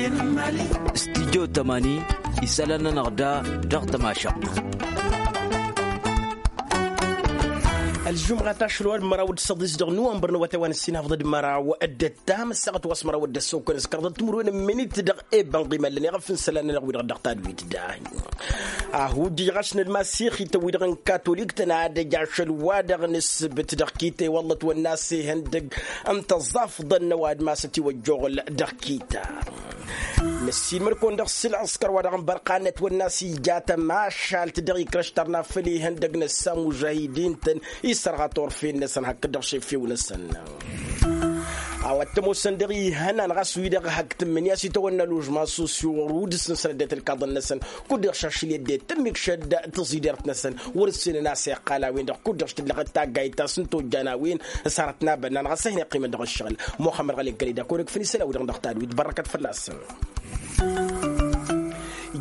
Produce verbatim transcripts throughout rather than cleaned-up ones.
Studyo tămani isălan-nănăɣ da dăɣ-tămašăɣt. Ălžumɣa tašăl wa d-măraw d-săḍis dăɣ-nuwănbăr n-awătay wa n-ăssinhăfḍăd măraw d-ăttam ăssaɣăt wa s-măraw d-ăssokăn s-kărḍăt timǝrwen n-minit dăɣ-ebănɣ imăllăn iɣăf n-isălan-nănăɣ wi-dăɣ dăɣ-tadwit da. Ahujjǝj ɣas n-ălmasixităn wi-dăɣ n-katolik-tăn ad-ăj ašăl-wa-dăɣ n-ǝssǝbǝt dăɣ-kita iwăllăt wănna a-s ihăndăg n-tăẓẓafḍăn n-ăwadǝm a-s ătiwăjjoɣăl dăɣ-kita. Năssiilmăd-kăwăn dăɣ-s ǝlɣǝskăr wa dăɣ-n bărqanăt wănna a-s ija tămašalt dăɣ-ikrăš tărna făll-ihăndăg n-ăssamužahidin-tăn isărɣa turfen-năsăn hakd-dăɣ šefew-năsăn. A-wa t-ămoosăn dăɣ-ihănan ɣas wi-dăɣ hak tǝmmǝnǝya s-itawănna lužman sosyo wăr-udǝs n-sănăddet ǝlkaḍăn-năsăn kud-dăɣ šašǝl i-ăddinăt tǝmmǝkšăd tăẓidert-năsăn wăr-ǝssenăn a-s iqqal a-wen-dăɣ kud-dăɣ s-tǝllăɣăt taggayt ta s-ǝnta ojjan a-wen s-hărăt n-abănnan ɣas a hin-iqqimăn dăɣ-ǝššăɣǝl. Muxămmăd ɣăli n-kăl-ida kăwăn-ǝkfǝn isălan-wi-dăɣ dăɣ-tadwit bărrăkăt fălla-săn.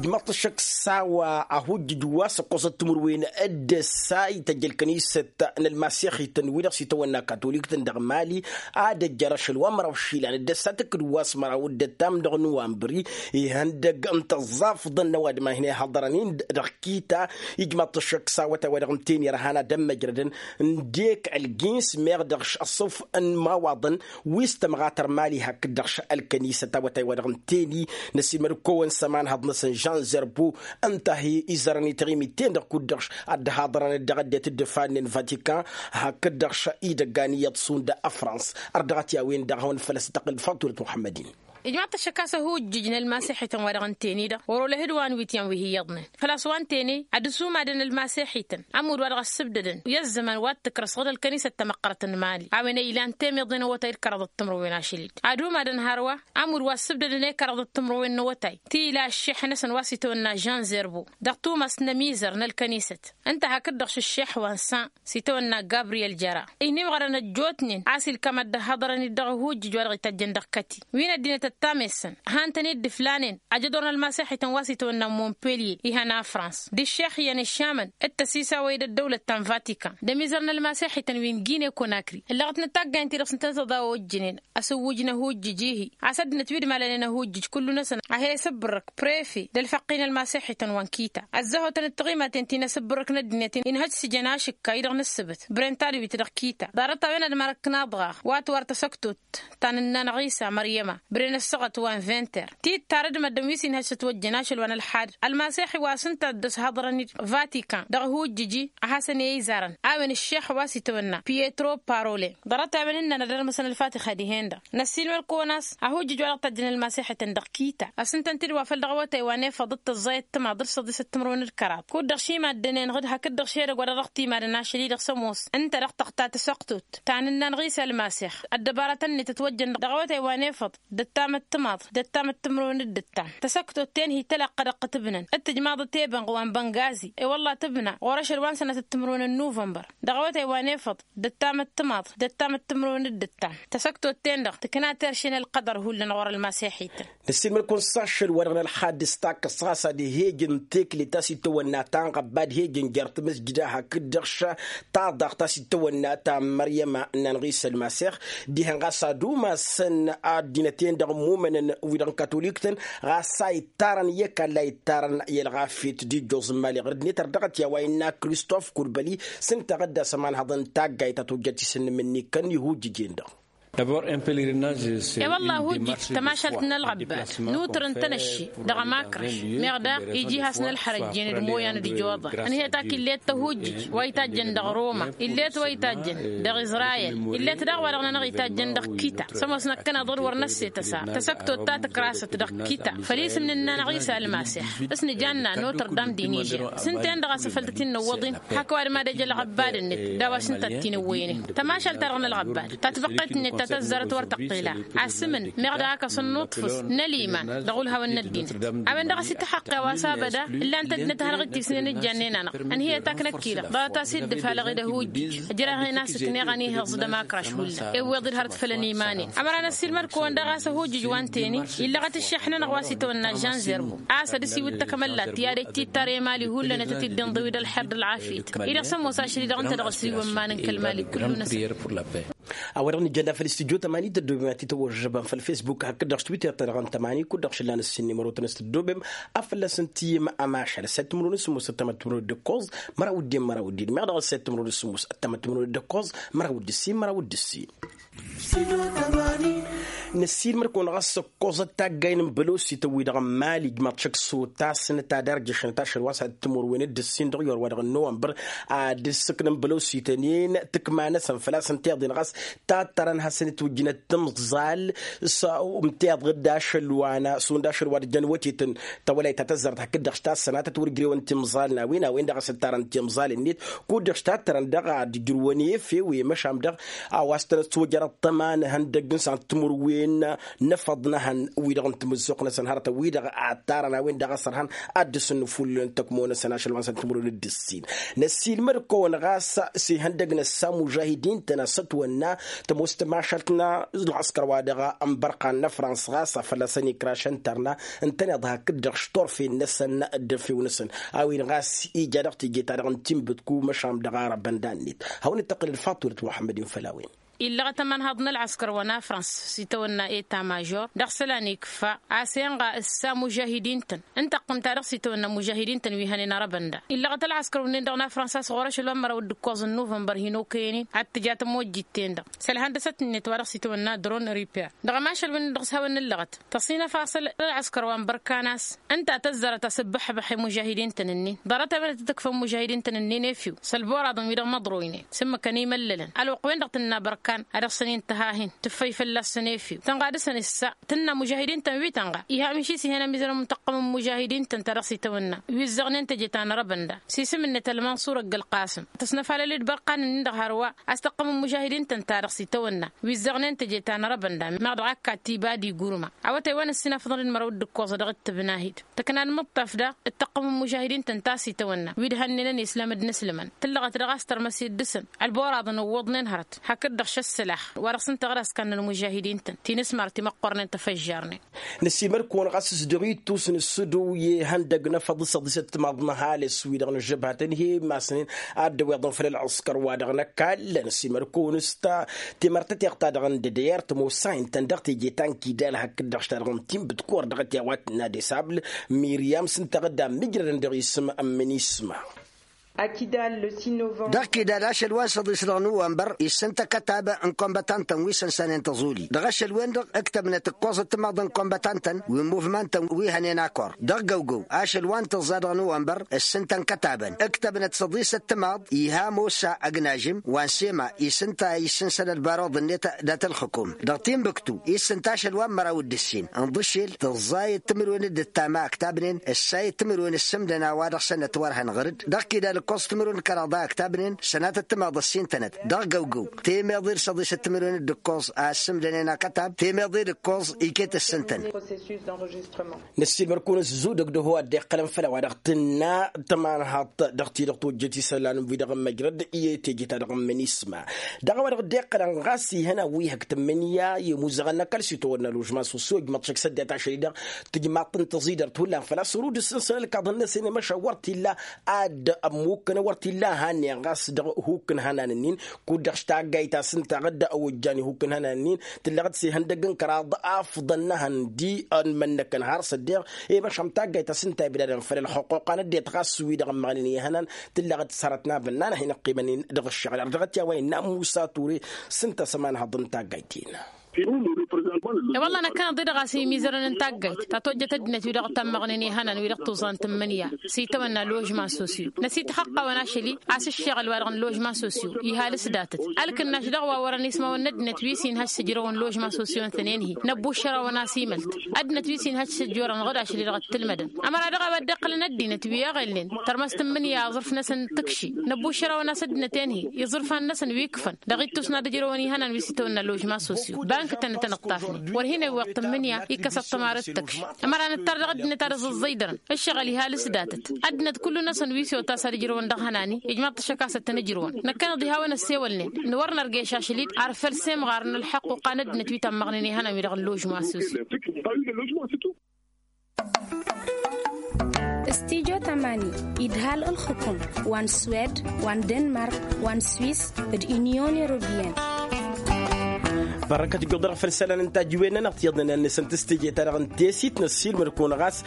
Ijmăḍ-t ăššăk s-a-wa ahujjǝj wa s-ǝqqosăt timǝrwen d-ǝssa ităjj ălkănisăt n-ălmasixităn wi-dăɣ s-itawănna katolik-tăn dăɣ-mali ad-ăjjăr ašăl wa n-măraw išilan d-ăssa tǝkkǝd wa s-măraw d-ăttam dăɣ-nuwanbări ihăndăg n-tăẓẓafḍăn n-ăwadǝm a hin-ihăḍărăn-in dăɣ-kita. Ijmăḍ-t ăššăk s-awătay wa dăɣ-n teni ărhan ad-ămmăjrădăn n-dek ălgins meɣ dăɣ-š ăṣṣuf n-imawaḍăn wi s-tămɣatăr mali hakd-dăɣ š-ălkănisăt awătay wa dăɣ-n teni. Năsiilmăd-kăwăn s-ămanhăḍ-năsăn žan zerbo ǝnta a hi-izărăn i-taɣimit-ten-dăɣ kud-dăɣ š-ad-dd-haḍărăn dăɣ-ăddinăt dd-ǝfannăn vatikan hakd-dăɣ š-idăggan iyyăḍ šund ăfrans. Ărdăɣăt i-a-wen-dăɣ a hawăn-făl ăsităqqǝl d-fatulat muḥămmăd-in. Ijmaḍ-t ăššăk a-s ăhujjǝj n-ălmaseḥităn wa dăɣ-n teni-dăɣ wăr-olăh d-wa n-wityan wi hi-iyyăḍnen făl-a-s wa n-teni ad-ăsumadăn ălmaseḥităn ămudd wa dăɣ-ăssǝbdădăn i-ăzzăman wa t-tǝkrăs ɣǝd ălkănisăt tamăqqărăt n-mali a-wen ăylan temeḍe n-awătay d-kăraḍăt timǝrwen ašăl-dd ad-umadăn hărwa ămudd wa ăssǝbdădăn i-kăraḍăt timǝrwen n-awătay ti ila ăššeḥ-năsăn wa s-itawănna žan zerbo dăɣ-tumas n-ămizăr n-ălkănisăt ǝnta hakd-dăɣ š-ăššeḥ wa n-san s-itawănna gabriyel jăra. Ih n-imɣărăn ăjjootnen a-s ilkam ad-dd-ăhhăḍărăn-dd dăɣ-ahujjǝj wa dăɣ-itajjăn dăɣ-kăti wi n-ăddinăt ăttam-esăn hantăn-dd ǝflanen ajădor n-ălmaseḥităn wa s-itawănna monpelye ihăn afrans d-ǝššex-iyyăn ǝššamăn d-tăsisawăy d-ăddăwlăt ta n-vatikan d-ămizăr n-ălmaseḥităn wi n-gine konakri ǝllăɣăt n-taggaynt-ti-dăɣ s-ǝntănăt ad-awăjjǝnen ăsǝwwǝj n-ahujjǝj-ihi a-s ăddinăt wi d-malănen ahujjǝj kullu-năsăn a he-isǝbbǝrrǝk prefe d-ălfăqqi n-ălmaseḥităn wa n-kita ăzzăhotăn d-tiɣimaten ti n-asǝbbǝrrǝk n-ăddinăt-in ǝnhăj s-ijăn ašǝkka-i-dăɣ n-ǝssǝbǝt bren tadwit dăɣ-kita ḍarăt-a-wen ad-mărăkk n-aḍɣaɣ wa t-wăr tasăktot ta n-ǝnnan ɣisa măryăma bren ăssaɣăt wa n-vinter ti dd-tarăd măddǝn wi s-inhăj s-ătwăjjăn ašăl wa n-ălḥad ălmaseḥi wa s-ǝnta a dd-ăshăḍrăn-dd vatikan dăɣ-ahujjǝj-i a hasăn-e-izarăn a-wen ǝššex wa s-itawănna pietro parole ḍarăt-a-wen ǝnnan ad-ărmăsăn ălfatixa dihen-dăɣ. Năssiilmăd-kăwăn a-s ahujjǝj wa dăɣ-tajjăn ălmaseḥităn dăɣ-kita a-s ǝntăn-t-dd wa făl dăɣ-awătay wa n-efăḍ d-tăẓẓayăt timaḍ d-săḍisăt timǝrwen d-kăraḍ kud-dăɣ šimad-dănen ɣǝd hakd-dăɣ šedăgg wa dăɣ-timadăn ašăl-i-dăɣ s-ămoos ǝnta dăɣ-tăɣta tăsoqtut ta n-ǝnnan ɣisa ălmasex ăddăbarătăn-net ătwăjjăn dăɣ-awătay wa n-efăḍ d-ăttam d-timaḍ d-ăttam d-timǝrwen d-ǝttam tăsoqtut-ten hi-tălaqq ad-ăqqǝtǝbnăn d-tǝjmaḍăt i-ebănɣ wa n-băngazi i-wălla tǝbna ɣur-ašăl wa n-sănatăt timǝrwen n-nuvănbăr dăɣ-awătay wa n-efăḍ d-ăttam d-timaḍ d-ăttam d-timǝrwen d-ǝttam tăsoqtut-ten-dăɣ tǝkna terše n-ălqăḍăr hullan ɣur-ălmaseḥităn. Năssiilmăd-kăwăn s-ašăl wa dăɣ-nălxadǝs takkăst ɣas ad-ehejăn tekle ta s-itawănna ta n-ɣăbba ad-hejăn jer-tamǝsjǝda hakd-dăɣ š-taḍaɣt ta s-itawănna ta n-măryăma n-anɣisa ălmasex dihen ɣas ad-umasăn ăddinăt-en-dăɣ ămmumănăn wi-dăɣ n-katolik-tăn ɣas a ittarăn i-ăkall a ittarăn i-ălɣafyăt d-ijjoẓ n-imali ɣur-ăddinăt ărdăɣăt i-a-wa innă kristof kurbăli s-ǝnta a ɣǝdda s-ămanhăḍ n-taggayt ta tojjăt isǝnnǝm-ni kăn ihujjǝj-en-dăɣ. E-wălla ahujjǝj tămašalt n-ălɣăbbad nutăr n-tanăšši dăɣ-ămakrăš meɣ daɣ ija ihas n-ălxărăjjen d-imoyan d-ijoḍa ănhăyăt ak illet tăhujjǝj wa itajjăn dăɣ-roma illet wa itajjăn dăɣ-izrayel illet daɣ wa dăɣ-nănăɣ itajjăn dăɣ-kita s-ămoos năkkăneḍ d-wăr năsse tăsa tăsăktot ta tǝkrasăt dăɣ-kita făll-isǝm n-ǝnnan ɣisa ălmasex s-nǝjanna notre dame d-inižer s-ǝnta-en-dăɣ a-s afăl tăt-in-nǝwwăḍ-in hak ăwadǝm ad-ăj ălɣăbbad-net d-a-wa s-ǝnta a t-in-ǝwwăynen tămašalt-ta-dăɣ n-ălɣăbbad ta tibăqqet-net ta tăzzarăt wăr tăqqel a asǝmǝn meɣ daɣ a kăs-ănnuṭfǝs n-ăliman dăɣ-ulhawăn n-ăddinăt a-wen-dăɣ a-s ităxăqqe a-wa s-abăda ǝllan-t ăddinăt a hanăɣ-dd-tisnen ǝjjannen-anăɣ ănhǝyăt a kǝnăkkilăɣ ḍarăt-as-dd-ǝfalăɣ-dd ăhujjǝj ǝjrăɣ-en a-s ǝkneɣ ănihăẓ d-ămakraš hullan ewweḍ-dd hărăt făll-ăniman-in ămăra năssiilmăd-kăwăn daɣ a-s ăhujjǝj wa n-teni illăɣăt ǝššeḥ-nănăɣ wa s-itawănna žan zerbo a-s ad-ăsiwǝd takămăllat ti ad-ăj tittar i-mali hullan ad-tăt-dd-inḍǝwǝd ălxer d-ălɣafyăt-i-dăɣ s-ămoos ašăl-i-dăɣ ǝnta dăɣ-ăsriwăn iman n-kăl-mali kullu-năsăn. A-wa-dăɣ nǝjjănna făll-studyo tămani tăddobem ad-t-tăwăžžăbăm făll-facebook hakd-dăɣ s-twitter-ta-dăɣ n-tămani kud-dăɣ šǝllan ǝssin n-imărotăn s-tăddobem. Afălla s-ǝnta i-mămašal s-ad-timǝrwen s-sǝmmos ăttămăt timǝrwen d-ǝkkoẓ măraw d-en măraw d-en meɣ dăɣ-s s-ad-timǝrwen s-sǝmmos ăttămăt timǝrwen d-ǝkkoẓ măraw d-ǝssin măraw d-ǝssin. Năssiilmăd-kăwăn ɣas ǝkkoẓăt taggay n-bălosităn-wi-dăɣ n-mali ǝjmaḍ šăkk s-otasnăt ad-arjăšnăt ašăl wa s-ad-timǝrwen d-ǝssin dăɣ-iwăr wa dăɣ-n nowănbăr ad-ǝssǝknăn bălosităn-en tǝkma-năsăn făl-a-s ǝnta iḍen ɣas tattărăn hasăn-itwǝjjǝnăt timẓal s-ǝnta iḍen d-ašăl wa n-a šund ašăl wa d-jăn wătetăn tawălayt ta tăzzarăt hakd-dăɣ s-tassănatăt wăr ǝjrewăn timẓal n-a-wen a-wen-dăɣ a-s ǝttarăn timẓal-net kud-dăɣ s-tattărăn dăɣ-ad-ǝjrǝwăn efew i-măšan dăɣ-a-wa s-tăn-ăswăjărăt tăma n-ihăndăgg n-săn timǝrwen n-efăḍ n-ehăn wi-dăɣ n-tamǝzzuɣt-năsăn hărătăn wi-dăɣ ad-tarăn a-wen-dăɣ a-s ărhan ad-dăr-săn n-ifullǝlăn tăkmo-năsăn ašăl wa n-săn timǝrwen d-ǝssin. Năssiilmăd-kăwăn ɣas s-ihăndăgg n-ăssa mužahidin-tăn a-s ătwănna tămoos tămašalt n-ălɣăskăr wa dăɣ-ănbărqan n-afrans ɣas a fălla-săn ikraš ǝntărna ǝntăneḍ hakd-dăɣ s-turfen-năsăn d-efew-năsăn a-wen ɣas ija dăɣ-teje-ta-dăɣ n-tinbǝtku măšan dăɣ-arăbăn d-annet hawăn-dd-tăqqǝlăd faṭulăt muḥămmăd-in făll-a-wen. Illăɣăt ămanhaḍ n-ălɣăskăr wa n-afrans s-itawănna eta mažor dăɣ-isălan ikfa a-s enɣa ǝssa mužahidin-tăn ǝnta ăqqǝm-ta-dăɣ s-itawănna mužahidin-tăn wi hănen arăbăn da illăɣăt ălɣăskăr-wǝnnin-dăɣ n-afrans a-s ɣur-ašăl wa n-măraw d-ǝkkoẓ n-nuvănbăr hin-okăyăn-in ad-tǝja tămojjit-ten-dăɣ s-ălhăndăsăt-net wa dăɣ-s itawănna dron ripea dăɣ-ămašăl-wǝnnin-dăɣ s-hawăn-nǝllăɣăt tăṣinăf a-s ălɣăskăr wa n-bărkan a-s ǝnta tăzzarăt a-s ǝbbăḥbăḥ i-mužahidin-tăn-ǝnnin ḍarăt ămănăt ad-tǝkfăn mužahidin-tăn-ǝnnin efew s-ălboraḍăn wi dăɣ-măḍroynen s-ǝmmǝkăn imăllălăn ălwăqq-wen-dăɣ tǝnna bărkan a dăɣ-săn-in-tǝhahin tǝffăy fălla-săn efew tănɣa dăɣ-săn issa tǝnna mužahidin-tăn wi tănɣa iha miši s-ihăn ămizărăn tăqqăm n-mužahidin-tăn ta dăɣ-s itawănna wi ǝzzăɣnen teje ta n-arăbăn da s-isǝm-net ălmănṣur ăgg-ălqasǝm tăsnăfalăl-dd bărqan-ǝnnin-dăɣ hărwa a-s tăqqăm n-mužahidin-tăn ta dăɣ-s itawănna wi ǝzzăɣnen teje ta n-arăbăn da meɣ dăɣ-akka tiba d-igurma awătay wa n-ǝssin afḍăn d-mărăw d-ǝkkoẓ dăɣ-ǝttǝbnahid tăknan mǝṭṭaf daɣ ǝttăqqăm n-mužahidin-tăn ta s-itawănna wi d-hannenăn islam d-inǝslǝmăn tǝllăɣăt dăɣ-a-s tărmăsit dăɣ-săn ălboraḍăn ǝwwăḍnen hărăt hakd-dăɣ šăssălax wa dăɣ-s ǝnta ɣur-askan n-ălmužahidin-tăn ti n-asmar ti măqqornen tăfăžžarnen. Năsimăr-kăwăn ɣas s-dăɣ-ittus n-ǝssǝdǝw i-ihăndăg n-efăḍ s-ăḍisăt timaḍ n-ăhalǝs wi-dăɣ n-ǝžžăbhatăn hi-imasnen ad-dd-ăwweḍăn făll-ălɣăskăr wa dăɣ-năkall năsimăr-kăwăn s-ta timărtăteɣt-ta-dăɣ n-dădăyăr tămoos sa intăn dăɣ-teje ta n-kidal hakd-dăɣ s-ta-dăɣ n-tinbǝt kăwăr dăɣ-t i-a-wa tǝnna desabl miryam s-ǝnta ad-dd-ammǝjrădăn dăɣ-isǝm n-imǝnisma. Dăɣ-kidal ašăl wa n-săḍis dăɣ-nowănbăr issǝntă kătab n-kombătantăn wi sănsanen tăẓuli dăɣ-ašăl-wen-dăɣ ǝktăbnăt ǝkkoẓăt timaḍ n-kombătantăn wi n-muvmantăn wi hănen akor dăɣ-găwgăw ašăl wa n-tǝẓẓa dăɣ-nowănbăr ǝssǝntăn kătabăn ǝktăbnăt săḍisăt timaḍ iha mosa ăgnažǝm wa n-sema isǝnta issǝnsăn ălbaruḍ-net dat-ălxǝkum dăɣ-tinbǝktu issǝnta ašăl wa n-măraw d-ǝssin ǝnḍǝšel tǝẓẓa i-timǝrwen d-ǝttam a ǝktabnen ǝssa i-timǝrwen ǝssǝmdăn a-wa dăɣ-săn ătwărhăn ɣăr-dd dăɣ-kidal ǝkkoẓ timǝrwen d-kăraḍ a ǝktabnen sănatăt timaḍ ăssintănăt dăɣ-găwgăw temeḍe d-săḍisăt timǝrwen d-ǝkkoẓ a ǝssǝmdănen akătab temeḍe d-ǝkkoẓ iket ǝssǝntăn. Năssiilmăr-kăwăn ăzzudăg d-ehăw a dd-iqqălăn făll-a-wa dăɣ-tǝnna tămanhaḍt dăɣ-ti-dăɣ tojjăt isălan wi-dăɣ n-măjrăd i-teje-ta-dăɣ n-imǝnisma dăɣ-a-wa dăɣ-dd-iqqălăn ɣas ihăn a-wi hak tǝmmǝnǝya i-imuzăɣăn n-ăkall s-itawănna ložman sosyo ǝjmăḍ šăkk s-ăddinăt ašăl-i-dăɣ tǝjmaḍ-tăn tăẓidărt hullan făl-a-s ărud ǝssǝnsăn ălkaḍăn-năsăn i-măšan wăr t-illa ad-ămmukkănăn wăr t-illa a hannen ɣas dăɣ-ihukk n-ihănan-nin kud-dăɣ s-taggayt ta s-ǝnta ad-dd-ăwwăjjan ihukk n-ihănan-nin tǝllăɣ-dd s-ihăndăgg n-kăraḍ afḍăn n-ehăn di ănmănnăkăn har s-ăddeɣ i-măšan taggayt ta s-ǝnta ibdadăn făll-ălxuquqa n-ăddinăt ɣas wi-dăɣ ămmăɣnen ihănan tǝllăɣ-dd s-hărăt n-abǝnnan a hin-ăqqimăn-in dăɣ-ǝššăɣǝl ar dăɣ-t i-a-wa innă musa ture s-ǝnta a-s ămanhăḍ n-taggayt-in. I-wălla năkkăneḍ-i-dăɣ a-s imizărăn n-taggayt ta tojjăt ăddinăt wi-dăɣ tămmăɣnen ihănan wi-dăɣ tuẓa n-tǝmmǝnǝya s-itawănna ložman sosyo năsităxăqqawăn ašăl-i a-s ǝššăɣǝl wa-dăɣ n-ložman sosyo ihal s-datăt ălkǝnnaš dăɣ-wa wărăn ismawăn n-ăddinăt wi s-inhăš s-ǝjrăwăn ložman sosyo n-tănen-hi năbbuššărăwăn a-s imălt ăddinăt wi s-inhăš s-ǝjorăn ɣǝd ašăl-i-dăɣ ăttǝlmădăn ămăra dăɣ-a-wa dd-iqqălăn ăddinăt wi eɣelnen tărmăs tǝmmǝnǝya aẓrǝf-năsăn tǝkši năbbuššărăwăn a-s ăddinăt-en-hi iẓrǝfan-năsăn wi ǝkfăn dăɣ-ittus n-ad-ǝjrăwăn ihănan wi s-itawănna ložman sosyo bank-tăn tăn-ǝṭṭafnen wăr hin-ewweḍ tǝmmǝnǝya ikkăs ăṭṭămar d-tǝkši ămăra nǝttar dăɣ-ăddinăt ad-ǝẓǝẓẓăydărăn ǝššăɣǝl ihal s-datăt ăddinăt kullu-năsăn wi s-otas ad-ǝjrǝwăn dăɣ-ihănan-i ijmaḍ-t ašăk a-s ăttăn-ǝjrǝwăn năkkăneḍ iha a-wa n-ăssewălnen n-wăr nărgeš ašăl-i d-arfăl semɣar n-ălḥăqquqa n-ăddinăt wi tămmăɣnen ihănan wi-dăɣ n-ložman sosyo. Studyo tămani idhal ǝlxǝkum wa n-swed wa n-denmark wa n-swis d-unyon europeyăn. Bărăkăt ijjuḍ-dăɣ făll-isălan n-tajǝwen-nănăɣ tiyyăḍnen ănnăsăn tǝstǝje-ta-dăɣ n-tesit n-ăssiilmăd-kăwăn ɣas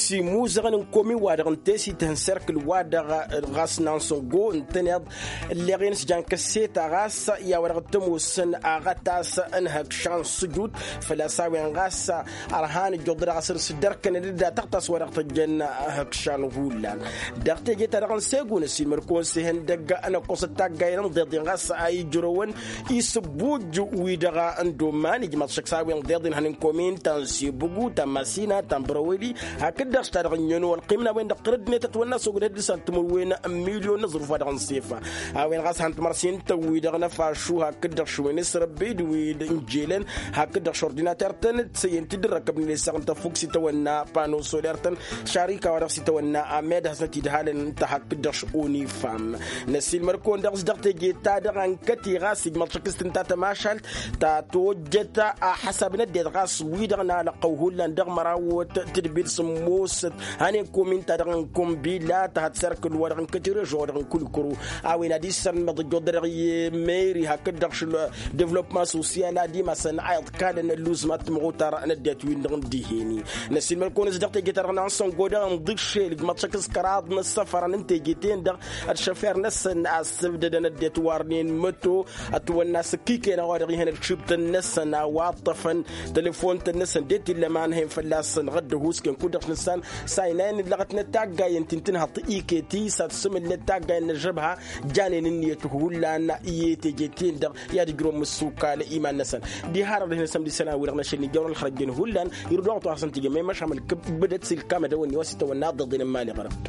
s-imuzăɣăn n-komin-wa-dăɣ n-tesit ihăn serkǝl-wa-dăɣ ɣas n-ansăngo ǝntăneḍ ǝlleɣ-en s-jan kăsseta ɣas i-a-wa-dăɣ t-ămoosăn aɣătas n-hăkša n-sǝjut. Făl-a-s a-wen ɣas ărhan ǝjjuḍ-dăɣ a-s ărs-dd-ărkănăn d-daɣ tăɣtas wa dăɣ-tăjjăn hăkšan hullan. Dăɣ-teje-ta-dăɣ n-segu n-ăssiilmăd-kăwăn s-ihăndăgg ănăqqusăt taggayen ǝnḍeḍen ɣas a ijrăwăn isǝbbuj wi-dăɣ n-domman ijmaḍ šăkk s-a-wen ǝnḍeḍen hăn n-komin ta n-sebugu ta n-masina ta n-bărăweli hakd-dăɣ s-ta-dăɣ ǝnnyăno ălqim n-a-wen-dăɣ tărăddinăt ătwănna s-ogdăd dăɣ-san timǝrwen n-milyon n-aẓrǝf wa dăɣ-nǝsefa. A-wen ɣas han timărsin-tăn-wi-dăɣ n-afašu hakd-dăɣ šuwen s-răbbi d-wi n-jelăn hakd-dăɣ šordinater-tăn d-săyyăn-t-dd ǝrrăkăbnen isaɣ n-tăffukt s-itawănna pano soler-tăn šarika wa dăɣ-s itawănna amed hasnăt-idhalăn ta hakd-dăɣ š-unifam. Năsiilmăr-kăwăn dăɣ-s dăɣ-teje-ta-dăɣ ănkăti ɣas ijmăḍ šăkk s-tǝnta tămašalt ta tojjăt a ăḥăsab n-ăddinăt ɣas wi-dăɣ n-alăqqăw hullan dăɣ-mărawăt tǝdbil sǝmmosăt. Hănen komin-ta-dăɣ n-kombila ta hăt serkǝl wa dăɣ-n kăti režo wa dăɣ-n kulkuru. A-wen ad-issărmăḍ ǝjjuḍ-dăɣ i-meri hakd-dăɣ šǝl devlopma sosyal ad-imasăn a iḍkalăn ălluzmat timɣutar n-ăddinăt-win-dăɣ n-dihen-i. Năsiilmăd-kăwăn s-dăɣ teje-ta-dăɣ n-ansăngo dăɣ-inḍǝššel ǝjmăḍ šăkk s-kăraḍ n-ăssăfărăn n-teje-ten-dăɣ ad-šăfir-năsăn a ăssǝbdădăn ăddinăt warnen măto ătwănna s-ǝkkikăyăn a-wa dăɣ-ihăn ălšibtăn-năsăn a-wa ǝṭṭăfăn tălăfon-tăn-năsăn de t-illa ma ǝnhăyăn fălla-săn ɣădd ăhuusken kud-dăɣ s-nǝssan. S-a inayăn ǝllăɣătnăt taggayen ti n-tǝnhăḍ iket-i s-ad-sǝmǝllăt taggayen n-ăžžăbha janen ǝnniyăt hullan i-teje-ten-dăɣ i-ad-ǝjrǝwăn mǝssukal iman-năsăn. Diha-dăɣ dăh-năsăn d-isălan-wi-dăɣ n-ašăl n-ija wăr-ălxărăjjăn hullan irǝd wa ɣătwa hasăn-t-ija măyma šamăl kăbbădăt s-ilkam ad-ăwănni wa s-itawănna ad-dd-ăḍen n-imali ɣărăt.